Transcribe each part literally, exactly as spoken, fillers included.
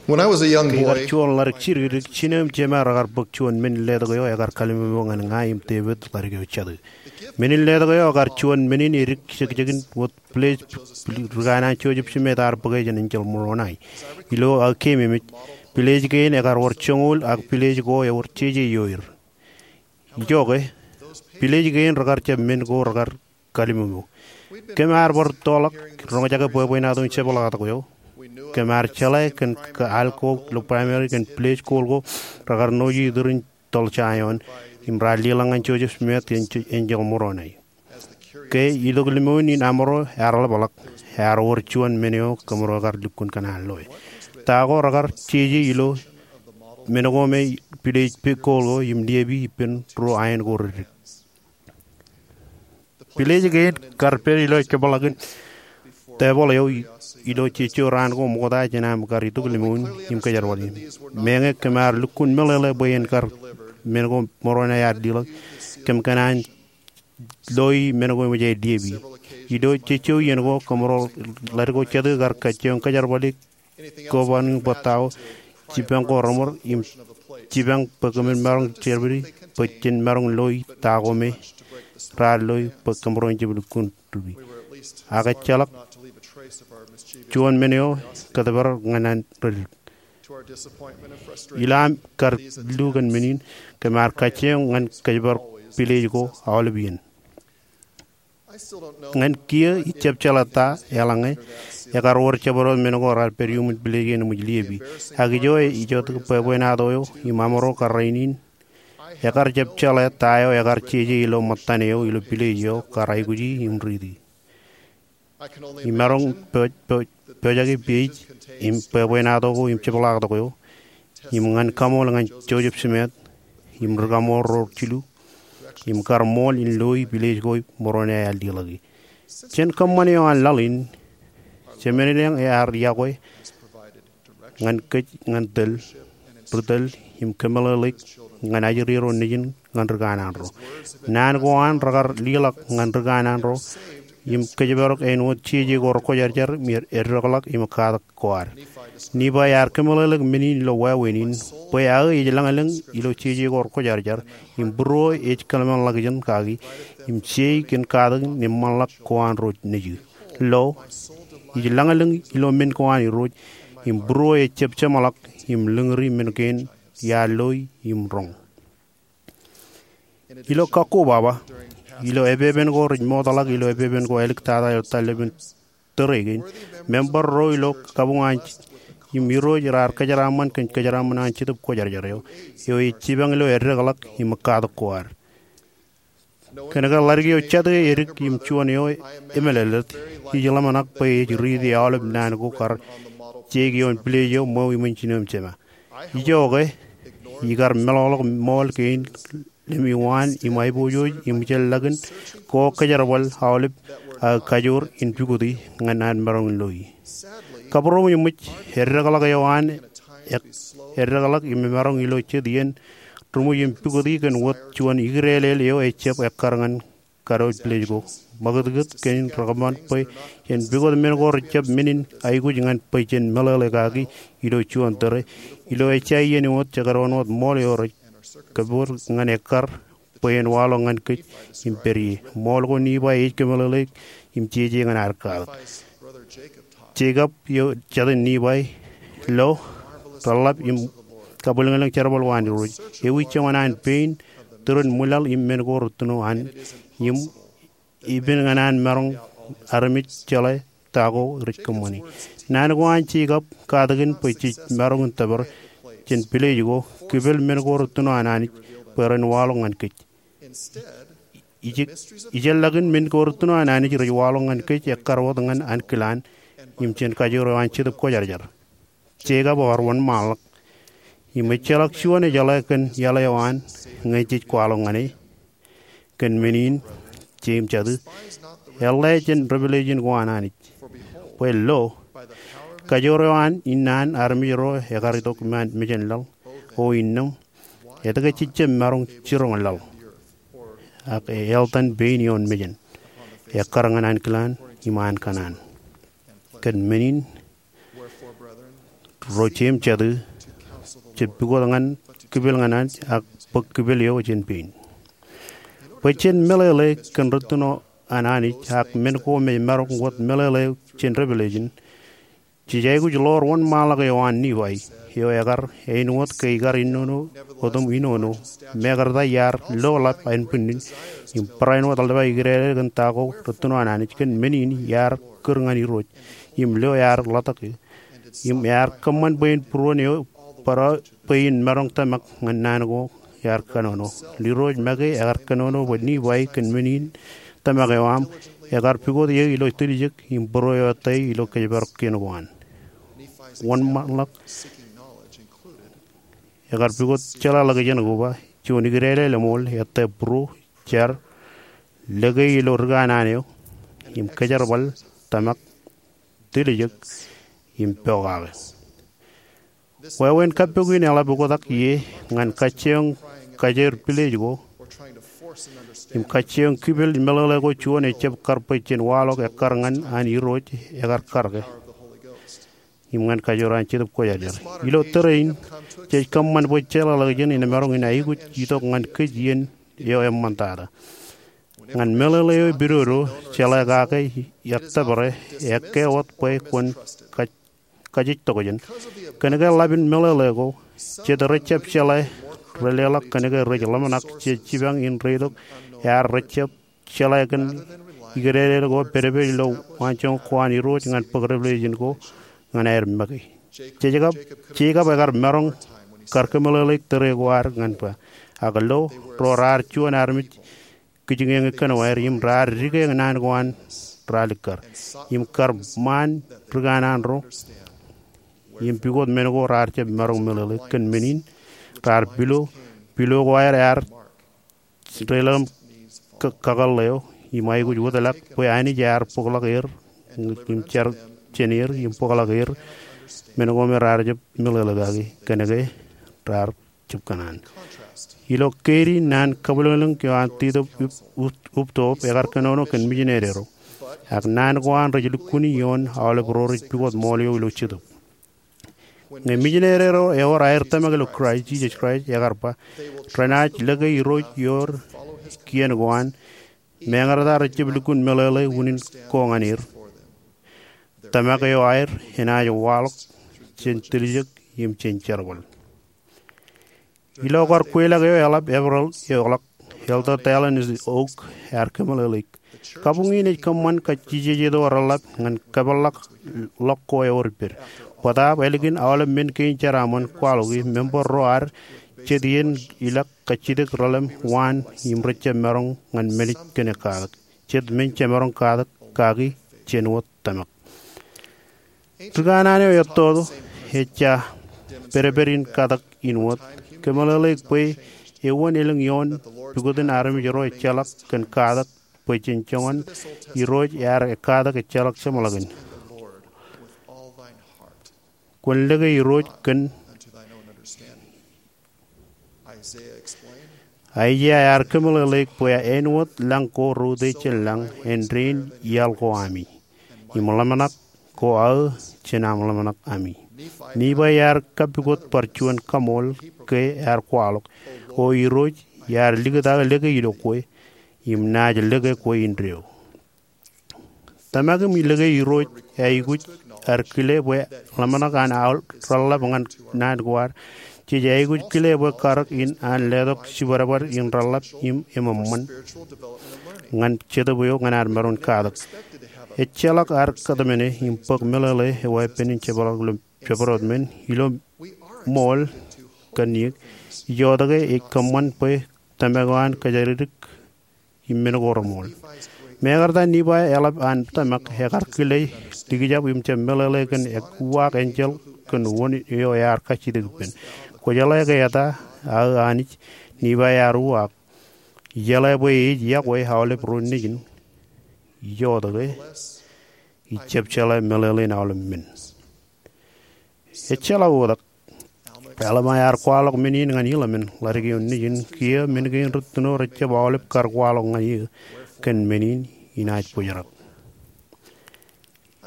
When I was a young boy, ikar juon ḷadik jidikdik, jinō im jema rekar bōk juon men in letok eo ekar kallimōmō ñan ña im David ḷadik eo jatū. Men in letok eo ekar juon men in edik jekjekin wōt pilej ri kanaan Joseph Smith ear bōke jān enjeḷ Moroni. Ilo aō keememej, pilej kein ekar wōr joñoul ak pilej ko ewōr jeje ioer. Ijoke, pilej kein rekar jab men ko rekar kallimōmō. Kōm ar bar toḷọk roñjake bwebwenato in jepḷaaktok eo. Kōm ar jeḷā kōn ke al ko ilo primary kōn pilej kool ko rekar noje iturin toḷ Jaion im raar leḷọk ñan Joseph Smith kōn enjeḷ Moroni. Ke itok limoun in amro ear ḷapḷọk, ear wōr juon men eo kōmro kar lukkuun kōṇaan loe. Ta ko rekar jeje ilo men ko me pilej kool ko im liepe ippān ruo aen ko reddik. Pilej kein kar pād ilo jepḷakin tebōḷ eo ilo jejjo raan ko ṃokta jān aṃ kar itok limoun im kōjerbali. Meñe kōm ar lukkuun meḷeḷe bwe en kar men ko Moroni ear leḷọk, kōm kōṇaan loi men ko eṃōj aer liepe. Ilo jejjo iien ko kōmro ḷadik ko jatū kar kajjioñ kōjerbali kōban in bōk ta ko jipañ ko reṃōr im jipañ bwe kōmin maroñ jepedi bwe jen maroñ loi ta ko me raar loi bwe kōmro en jab lukkuun ripi. Ak ejjeḷọk juon men eo kōtpād ñan an reddik. Ilo aṃ kar lu kōn men in, kōm ar kajjioñ ñan kōjparok pilej ko aolep iien. Ñan kiiō ij jab jeḷā ta eḷaññe ekar wōr jabdewōt men ko raar pād iuṃwin pilej kein eṃōj liepe. Ak ijo ej itok bwebwenato eo im amro kar rainin, ekar jab jeḷā ta eo ekar jeje ilo ṃōttan eo ilo pilej eo kar aikuji im riiti. Imaroñ pojak, pojak, pojak ipej im bwebwenato ko im jepḷaaktok eo im ñan kaṃool ñan Joseph Smith im ri kaṃool ro jilu im kar ṃool in loi pilej ko Moroni ear leḷọki. Jān kōṃṃan eo an laḷ in, Jemendeañ ear yokwe ñan kōj ñan tōl, ri tōl im kōmeḷeḷeik ñan ajri ro nejin ñan ri kanaan ro. Naan ko an rekar leḷọk ñan ri kanaan ro im kōjparok āinwōt jeje ko rekwōjarjar im eddekḷọk im katak ko ad. Nifai ear kōmeḷeḷeik men in ilo wāween in, bwe aō ej lañlōñ ilo jeje ko rekwōjarjar im būruō ej kōḷmānḷọkjeṇ kaki im jei kōn katakin im ṃanḷọk ko an ro nejū. Lo, ij lañlōñ ilo men ko an Irooj im būruō ej jab jeṃḷọk im lōñri men kein iar loi im roñ. Ilo kakkobaba, ilo epepen ko rej mootḷọk ilo epepen ko āliktata ilo tōl lepin tōre kein, member ro ilo kabuñ an im Irooj raar kōjeraaṃṃan kōn kōjeraaṃṃan an Jetōb Kwōjarjar eo, eo ej jipañ ilo eddekḷọk im katak ko ad. Kōnke ḷadik eo jatū edik im juon eo emālōtlōt, ij ḷōmṇak bwe ej riiti aolep naan ko kar jeik ioon pilej eo ṃweo iṃōn jinō im jema. Ijoke, ikar meḷọkḷọk ṃool kein lemewaan im aiboojoj im ijellọkin ko kōjerbal aolep aō kajoor in pukoti ñan an maroñ in loi. Kabūroṃōj eṃōj, eddekḷọk eo an eddekḷọk im emaroñ ilo jet iien ri ṃōj in pukoti kōn wōt juon ikdeelel eo ejjab ekkar ñan kadiwōj pilej ko. Ṃakūtkūt kein rekōṃṃan bwe jen pukot men ko rejjab men in aikuj ñan bwe jen meḷeḷe kaki ilo juon tōre. Ilo ejja iien wōt jekdọọn wōt ṃool eo rej kōpooj ñan ekkar bwe en waḷọk ñan kōj im pād ie. Ṃool ko Nifai ej kōmeḷeḷeik im jeje ñan ad katak. Jekob eo jatū Nifai, lo, reḷḷap im kabwilōñlōñ jerbal ko an Irooj. Ewi joñan an pein, tūrin ṃwilaḷ im men ko rūttoṇo an, im ippān ñan an maroñ armej jeḷā ta ko rej kōṃṃani. Naan ko an Jekob katakin bwe jej maroñ in tōpar jān pilej ko, kipel men ko rūttoṇo an Anij bwe ren waḷọk ñan kōj. Ij, ijellọkin men ko rūttoṇo an Anij rej waḷọk ñan kōj ekkar wōt ñan ankilaan im jān kajoor eo an Jetōb Kwōjarjar. Jekob ear wōnṃaanḷọk im ejjeḷọk juon ejeḷā kōn iaḷ eo an ñe jej kwaḷọk ñan e. Kōn men in, Jemes jatū, eḷḷā jān Revelation ko an Anij. Bwe lo, kajoor eo an innaan armej ro ekar itok iṃaan mejān laḷ, o innām, etke jej jab maroñ jiroñ laḷ? Ak eḷtan pein ioon mejān, ekkar ñan ankilaan im an kōṇaan. Kōn men in, ro jeiū im jatū, jej pukot ñan kipel ñan Anij ak bōk kipel eo jān pein. Bwe jen meḷeḷe kōn rūttoṇ an Anij ak men ko me maroñ wōt meḷeḷe jān Revelation, jej aikuj ḷoor wōnṃaanḷọk eo an Nifai, eo ekar āinwōt ke ikar inono otem inono, mekarta iar loḷap ānbwinnin, im barāinwōt eḷap aō ikdedeḷọk kōn ta ko rūttoṇ an Anij, kōn men in iar kūr ñan Irooj, im lo ear ḷotak eō, im ear kōṃṃan bwe en būruon eo bōro bwe in maroñ tōmak ñan naan ko ear kōnono. Irooj make ekar kōnono bwe Nifai kōn men in tōmak eo aṃ ekar pukot eō ilo tiljek im būro eo ettā ilo kōjparok kien ko an. Wōnṃaanḷọk ekar pukot jeḷāḷọkjeṇ koba juon ikdedeḷọk lemñoul ettā būro, jar, lōke ilo ri kanaan eo, im kōjerbal, tōmak, tiljek, im pokake. Wāween kappok in eḷap oktak ie ñan kajjioñ kajeer pilej ko im kajjioñ kipel meḷeḷe ko juon ejjab kar bwe jen waḷọk ekkar ñan an Irooj ekar karōke im ñan kajoor an Jetōb Kwōjarjar. Ilo tōre in, jej kōṃṃan bwe jeḷāḷọkjeṇ in maroñ in aikuj itok ñan kōj iien eo eṃṃantata. Ñan meḷeḷe eo epidodo, jeḷā kake ettōpare, ekkā wōt bwe kwōn kaj- kajejtokjān. Kōnke ḷap in meḷeḷe ko, jet rejjab jeḷā rej leḷọk kōnke rej ḷōmṇak jej jipañ in reitok ear rejjab jeḷā kōn ikdedeḷọk eo pedped ilo waanjoñak ko an Irooj ñan bōk Revelation ko ñan aer make. Jekab, Jekab ekar maroñ kar kōmeḷeḷeik tōre ko ad ñan ba, ak lo ro raar juon armej kijiñeñe kōnwaer im raar dike naan ko an ralikkar im kar ṃaan ri kanaan ro im pukot men ko raar jab maroñ meḷeḷe. Kōn men in raar pilo, pilo ko aer ear deḷọñ im kakōḷḷe eo im aikuj wōtlọk bwe Anij ear bōkḷọk er im jar jān er im bōkḷọk er men ko me raar jab meḷeḷe kaki kōnke raar jab kōṇaan. Ilo keidi naan kabwilōñlōñ eo an Titōb Up- Up- Uptop ekar kōnono kōn mijinede ro ak naan ko an rej lukkuun ioon aolep ro rej pukot ṃool eo ilo Jetōb. Ñe mijinede ro ewōr aer tōmak ilo Kraist Jisōs Kraist ekar ba renaaj lōke Irooj ioon kien ko an, meñe reta rejjab lukkuun meḷeḷe unin ko ñan er. Tōmak eo aer enaaj waḷọk jān tiljek im jān jerbal. Ilo kar kweilọk eo eḷap Eprel eo ḷọk, Elder Dallin H. Oaks ear kōmeḷeḷeik. Kabuñ in ej kōṃṃan kajjijejjet eo reḷap ñan kōpeḷḷọk ḷọk ko ewōr ippād. Bōtaab ālikin aolep men kein jeraaṃṃan kwaḷọki, member ro ad jet iien ilọk kajjitōk relōñ waan im rejjab maroñ ñan men ej kōn katak. Jet men jemaroñ katak kaki jān wōt tōmak. Ri kanaan eo ettoto ejja pedped in katak in wōt. Kōmeḷeḷeik bwe ewōn elōñ ioon pukot in armej ro ejjeḷọk kōn katak bwe jen joñan Irooj ear katak ejjeḷọk jeṃḷọkin. Kwōn lōke Irooj kōn Aiseia ear kōmeḷeḷeik bwe āinwōt lañ ko reutiej jān lañ, āindein iaḷ ko ami, im ḷōmṇak ko aō jān aṃ ḷōmṇak ami. Nifai ear kapukot bar juon kaṃool ke ear kwaḷọk, O Irooj, iar likūt aō lōke ilo kwe, im naaj lōke kwe indeeo. Tōmak im lōke Irooj aikuj ad kile bwe ḷōmṇak an aō reḷḷap ñan naan ko ad. Jej aikuj kile bwe karōk in an letok jibadbad in reḷḷap im eṃṃan ñan Jetōb eo ñan ad maroñ katak. Ejjeḷọk ad kōtmāne im bōk meḷeḷe eo epen in jepḷaak ilo jabdewōt men ilo ṃool kōn iiō. Ijotōk ke ej kōṃṃan bwe tōmak eo an kōjatdikdik im men ko reṃool. Mekarta Nifai eḷap an tōmak ekar kile likjab im jab meḷeḷe kōn uwaak enjeḷ kōn wōn eo ear kajjitōk ippān. Kwōjeḷā ke eta aō Anij? Nifai ear uwaak. Ijeḷā bwe ej yokwe aolep ro nejin. Ijotōk ke ij jab jeḷā meḷeḷein aolep men. Ejjeḷọk oktak. Alma ear kwaḷọk men in ñan Hilaman, ḷadik eo nejin, kiiō men kein rūttoṇ eo rejjab aolep kar kwaḷọk ñan eō, kōn men in inaaj bōjrak.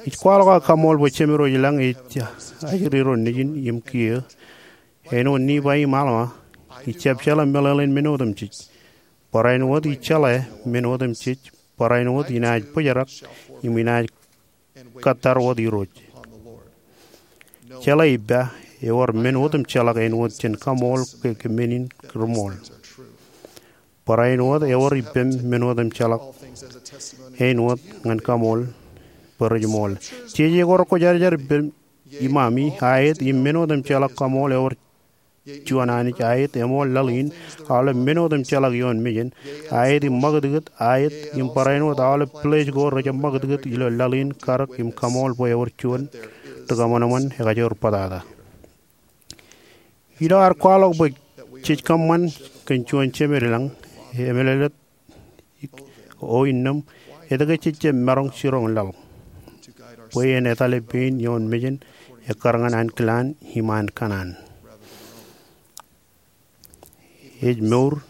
Ij kwaḷọk aō kaṃool bwe Jemedwōj ilañ ej ajri ro nejin im kiiō. Āinwōt Nifai im Alma, ij jab jeḷā meḷeḷein men otemjej. Barāinwōt ij jeḷā men otemjej, barāinwōt inaaj bōjrak im inaaj kōttar wōt Irooj. Jeḷā ippa, ewōr men otemjeḷọk āinwōt jen kaṃool ke, ke men in ri ṃool. Barāinwōt ewōr ippem men otemjeḷọk āinwōt ñan kaṃool bwe rej ṃool. Jeje ko rekwōjarjar ippem iṃami, aet im men otemjeḷọk kaṃool ewōr juon Anij, aet eṃool laḷ in, aolep men otemjeḷọk ioon mejān, aet im ṃakūtkūt, aet im barāinwōt aolep piḷeej ko rejjab ṃakūtkūt ilo laḷ in, karōk im kaṃool bwe ewōr juon ri kaṃōṃōn ekajoor bōtata. Ilo ad kwaḷọk bwe jej kōṃṃan kōn juon Jemed ilañ, emeḷeḷe O innām, etke jej jab maroñ jiroñ laḷ? Bwe en etale pein ioon mejān ekkar ñan ankilaan im an kanaan. Ej mour,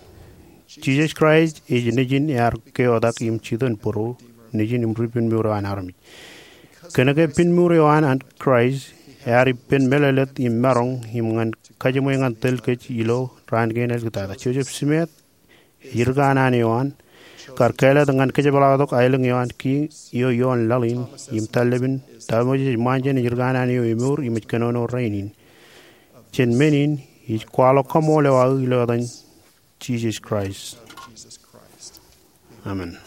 Jisōs Kraist ej Nejin ear keotak im jitōnbōro, Nejin im ri pinmour eo an armej. Kōnke pinmour eo an an Kraist ear ippān meḷeḷet im maroñ im ñan kajiṃwe ñan tōl kōj ilo raan kein āliktata. Joseph Smith ej ri kanaan eo an, kar kāālōt ñan kōjepḷaaktok aelōñ eo an kiiō ioon laḷ in im tallepin ta Moses ej ṃōṇōṇō jān ri kanaan eo emour im ej kōnono rainin. Jān men in, ij kwaḷọk kaṃool eo aō ilo etan Jisōs Kraist. Amen.